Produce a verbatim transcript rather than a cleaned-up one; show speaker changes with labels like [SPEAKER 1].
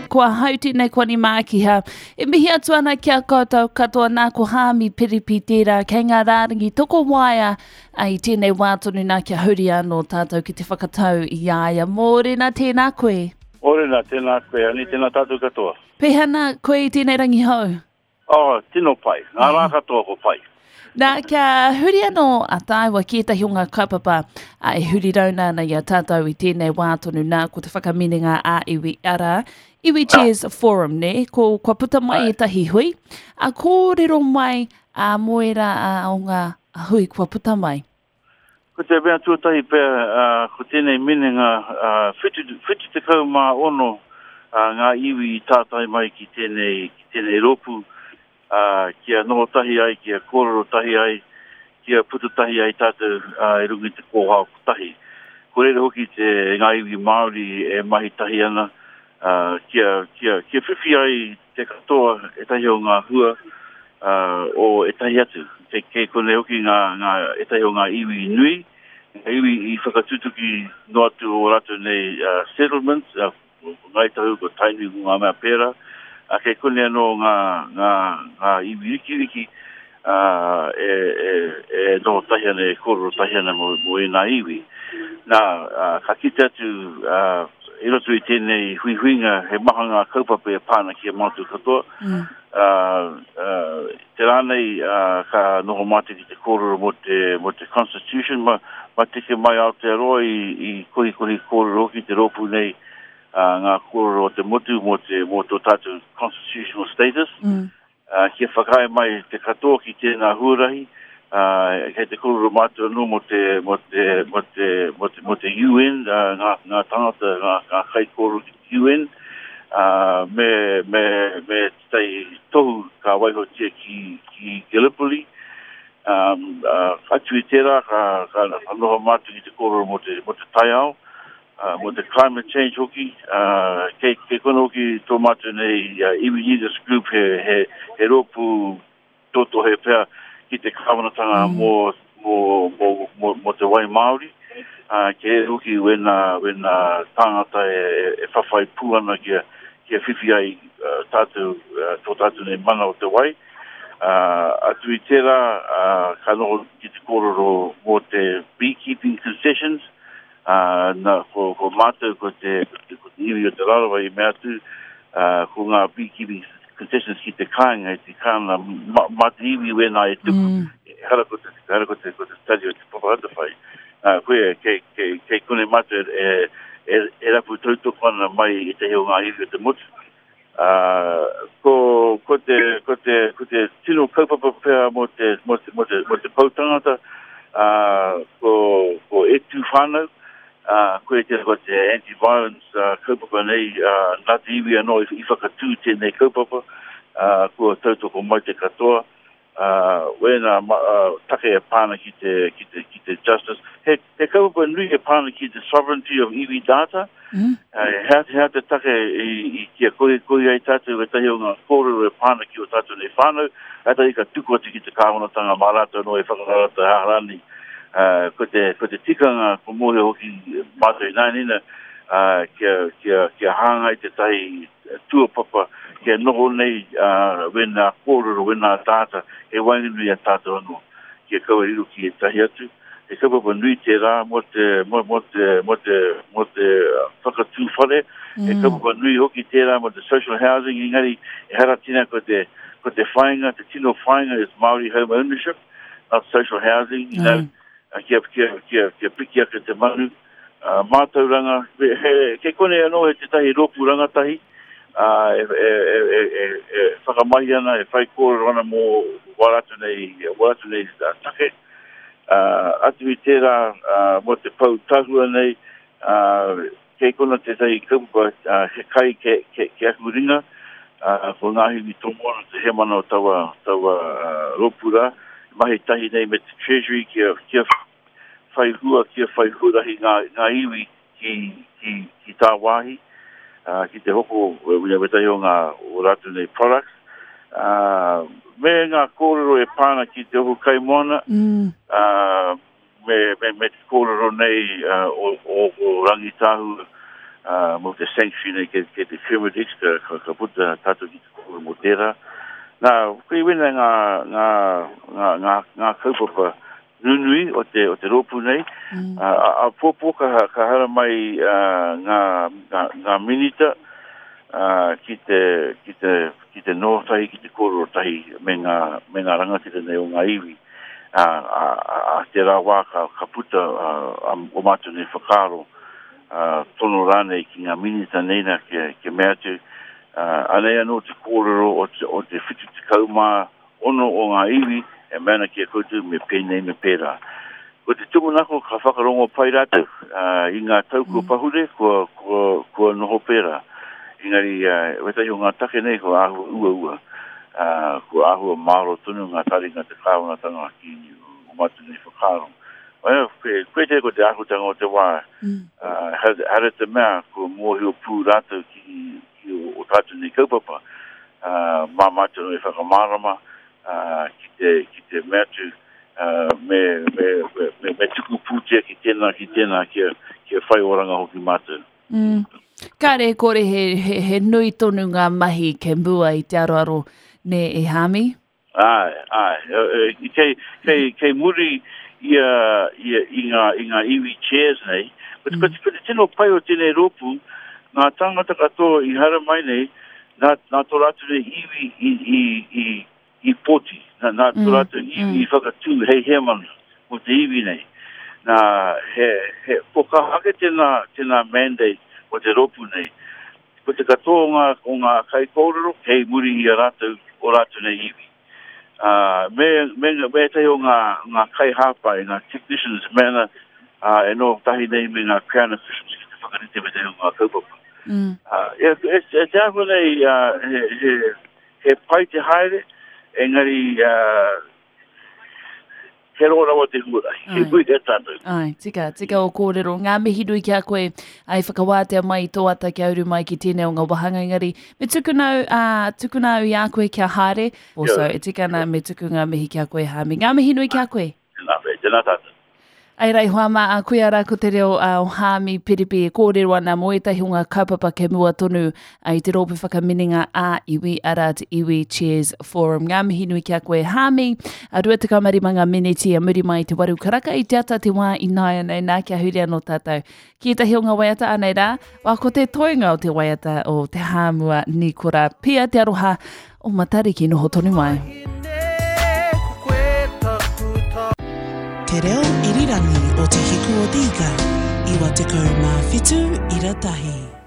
[SPEAKER 1] Ko ahau tēnei ko Ani Mākiha. E mihi atu ana ki a koutou katoa nā ko Haami Piripi tērā kei ngā rārangi tokowaea i tēnei wā tonu nā kia huri anō tātou ki te whakatau i a ia. Mōrena, tēnā koe.
[SPEAKER 2] Mōrena, tēnā koe, Ani, tēnā tātou katoa.
[SPEAKER 1] Pēhea nā koe i tēnei rangi hou?
[SPEAKER 2] Oh, tino pai. Ngā rā katoa ko pai.
[SPEAKER 1] Nā, kia huri anō a tāua ki ētahi o ngā kaupapa a, e huri rauna ana i a tātou i tēnei wā tonu nā, ko te whakaminenga ā-iwi, arā, Iwi Chairs Forum, nē, ko, kua puta mai ētahi hui, a kōrero mai a mō ērā a, o ngā hui kua puta mai.
[SPEAKER 2] Ko te mea tuatahi pea, uh, ko tēnei minenga uh, whitu, whitu tekau mā ono uh, ngā iwi i tātai mai ki tēnei, ki tēnei rōpū, uh, kia noho tahi ai, kia kōrero tahi ai, kia puta tahi ai tātou uh, e runga i te kōhao kotahi. Ko reira hoki te ngā iwi Māori e mahi tahi ana, uh, kia, kia, kia whiwhi ai te katoa ētahi o ngā hua uh, o ētahi atu. Kei, kei konei hoki ngā, ngā, ētahi o ngā iwi nui, ngā iwi i whakatutuki noa atu o rātou nei uh, settlements, uh, ko Ngāi Tahu, ko Tainui, ko ngā mea pērā. A kei konei anō ngā, ngā, ngā iwi rikiriki uh, e, e, e noho tahi ana, e kōrero tahi ana mō, mō ēnā iwi. Nā, uh, ka kite atu uh, i roto i tēnei huihuinga he maha ngā kaupapa e pā ana ki a mātou katoa.
[SPEAKER 1] Mm.
[SPEAKER 2] Uh, uh, te rā nei uh, ka noho mātou ki te kōrero mō te, mō te Constitution, ma, ma teke mai Aotearoa i, i kohikohi kōrero hoki te rōpū nei uh, ngā kōrero o te motu mō te, mō tō tātou constitutional status.
[SPEAKER 1] Mm.
[SPEAKER 2] Uh, kia whakaae mai te katoa ki tēnā huarahi, uh, kei te kōrero mātou anō mō te, mō te, mō te, mō te, mō te U N, uh, ngā, ngā tangata, ngā, ngā kaikōrero ki te U N, uh, me, me, me tētahi tohu ka waihotia ki, ki Gallipoli. Um, uh, atu i tērā, ka, ka, ka noho mātou ki te kōrero mō te, mō te taiao, uh, mō te climate change hoki, uh, kei, kei kono hoki tō mātou nei uh, Iwi Leaders Group he, he, he rōpū tōtohe pea ki te kāwanatanga
[SPEAKER 1] Mm.
[SPEAKER 2] mō, mō, mō, mō, mō te wai Māori, uh, kei hoki wena, wena tāngata e, e, e whawhai pū ana kia, kia whiwhi ai uh, tātou, uh, tō tātou nei mana o te wai. Uh, atu i tērā, uh, ka noho ki te kōrero mō te beekeeping concessions, uh, na, ko, ko mātou, ko te, ko te iwi o Te Rarawa i mea atu, uh, ko ngā beekeeping concessions ki te kāinga, i te kāna, ma, ma te iwi wēnā e tuku,
[SPEAKER 1] Mm.
[SPEAKER 2] hara ko te, hara ko te, ko te tari o te Papa Atawhai. Uh, koe, kei, kei, kei kone mātou e, e, e rapu tautoko ana mai i te heo ngā iwi o te motu. Uh, ko, ko te, ko te, ko te tino kaupapa pea mō te, mō te, mō te, mō te poutangata, uh, ko, ko E Tū Whānau, uh, koe te, ko te anti-violence uh, kaupapa nei, uh, nā te iwi anō i, i whakatū tēnei kaupapa, uh, kua tautoko mai te katoa, uh, wēnā ma, uh, take e pāna ki te, ki te, ki te justice. He, he kaupapa nui e pāna ki te sovereignty of iwi data,
[SPEAKER 1] Mm.
[SPEAKER 2] uh, hea, hea te take i, i kia koi, koi ai tātou e tahi o ngā kōrero e pāna ki o tātou nei whānau, kātahi ka tuku atu ki te kāwanatanga mā rātou anō e whakarata hārani. Uh, ko te, ko te tikanga, ko mōhio hoki mātou i nānina, uh, kia, kia, kia hāngai te tahi tuapapa, kia noho nei uh, wēnā kōrero, wēnā tāta, e waenganui a tātou anō, kia kaua riro ki e tahi atu. He kaupapa nui te rā mō te, mō, mō te, mō te, mō te whakatū whare. He
[SPEAKER 1] Mm.
[SPEAKER 2] kaupapa nui hoki tērā mō te social housing, engari e hara tina ko te, ko te whāinga, te tino whāinga is Māori home ownership, not social housing, you know,
[SPEAKER 1] Mm.
[SPEAKER 2] uh, kia, kia, kia, kia piki ake te manu. Uh, mātauranga, he, he, kei konei anō he tētahi rōpū rangatahi, uh, e, e, e, e, e, e whakamahi ana, e whai kōrero ana mō wā rātou nei, wā rātou nei uh, take. Uh, atu i tērā uh, mō te pau tahua nei, uh, kei kona tētahi kaupapa, uh, he kai ke, ke, ke aku ringa, uh, ko ngā hiwi tomoana te hemana o taua, taua uh, rōpū rā, mahi tahi nei me te Treasury kia, kia whai hua, kia whai huarahi ngā, ngā iwi ki, ki, ki tā wāhi, uh, ki te hoko wetahi o ngā o rātou nei products. Uh, me ngā kōrero e pāna ki te ohu kaimoana,
[SPEAKER 1] Mm.
[SPEAKER 2] uh, me, me, me te kōrero nei uh, o, o, o Rangitāhu, uh, mō te sanctuary nei ke, ke te Kermit X, ka, ka, ka puta tātou ki te kōrero mō tērā. Nā, koe wena ngā, ngā, ngā, ngā, ngā kaupapa nunui o te, o te rōpū nei. Mm. Uh, a, a pōpō ka, ka hara mai uh, ngā, ngā, ngā minita uh, ki te, ki te, ki te noho tahi, ki te kōrero tahi me ngā, me ngā rangatira nei o ngā iwi. Uh, a, a, a te rā wā ka, ka puta uh, o mātou nei whakaaro uh, tono rānei ki ngā minita nei nā kia, kia mea atu. Uh, anei anō te kōrero o te, o te whitu tekau mā ono o ngā iwi e mea ana ki a koutou me pēnei me pērā. Ko te tūmanako ka whakarongo pai rātou uh, i ngā tau kua pahure, kua, kua, kua noho pērā. Engari, uh, wetahi o ngā take nei kua āhua uaua, uh, kua āhua māro tonu ngā taringa te kāwanatanga ki o mātou nei whakaaro. Well, koe, koe te ko te āhutanga o te wā, mm. uh, hare te mea kua mōhio pū rātou ki, ki o, o tātou nei kaupapa, uh, mā mātou nei whakamārama, uh, ki te, ki te mea atu, uh, me, me, me, me, me tuku pūtea ki tēnā, ki tēnā, kia, kia whai oranga hoki mātou.
[SPEAKER 1] Mm. Kāre kore he, he, he nui tonu ngā mahi ke mua i te aroaro ne e Hami?
[SPEAKER 2] Ai, ai. Kei, kei, kei muri i, i, i, ngā, i ngā iwi chairs nei. Ko, mm. ko, ko te tino pai o tēnei rōpū, ngā tāngata katoa i hara mai nei, nā, nā tō rātou nei iwi i, i, i, i poti, nā, nā tō rātou iwi mm. i whakatū hei hemana o te iwi nei. Nā, he, he poka ake tēnā, tēnā mandate o te rōpū nei. Ko te katoa o ngā, o ngā kaikōrero, kei muri i a rātou, o rātou nei iwi. Uh, me, me, me ētahi o ngā, ngā kaihāpai, ngā technicians, mēna uh, e noho tahi nei me ngā Crown officials ki te whakarite me te o ngā kaupapa. Mm. Uh, e, e, e te āhua nei, uh, he, he, he pai te haere, engari uh, he roa rawa te huarahi, he hui he tātou.
[SPEAKER 1] Ai, tika, tika o kōrero. Ngā mihi nui ki a koe, ai whakawātea mai i tō ata kia uru mai ki tēnei o ngā wāhanga engari. Me tukuna au, uh, tukuna au i a koe kia haere. Also, e tika ana me tuku ngā mihi ki a koe, Hami. Ngā mihi nui ki a koe.
[SPEAKER 2] Tēnā, tēnā tātou.
[SPEAKER 1] Ai rei hoa mā, a koe ara ko te reo o Hami Piripi e kōrero ana mō ētahi o ngā kaupapa ke mua tonu i te rōpū whakaminenga a iwi ara te Iwi Chairs Forum. Ngā mihi nui ki a koe Hami, a rua tekau mā rima ngā miniti a muri mai te waru karaka i te ata te wā i nāianei nā kia huri anō tātou. Ki ētahi o ngā waiata anei rā, wā ko te toenga o te waiata o te Hāmua Nikora. Pia te aroha o Matariki noho tonu mai.
[SPEAKER 3] Te reo irirangi o Te Hiku o te Ika, iwa tekau mā whitu ira tahi.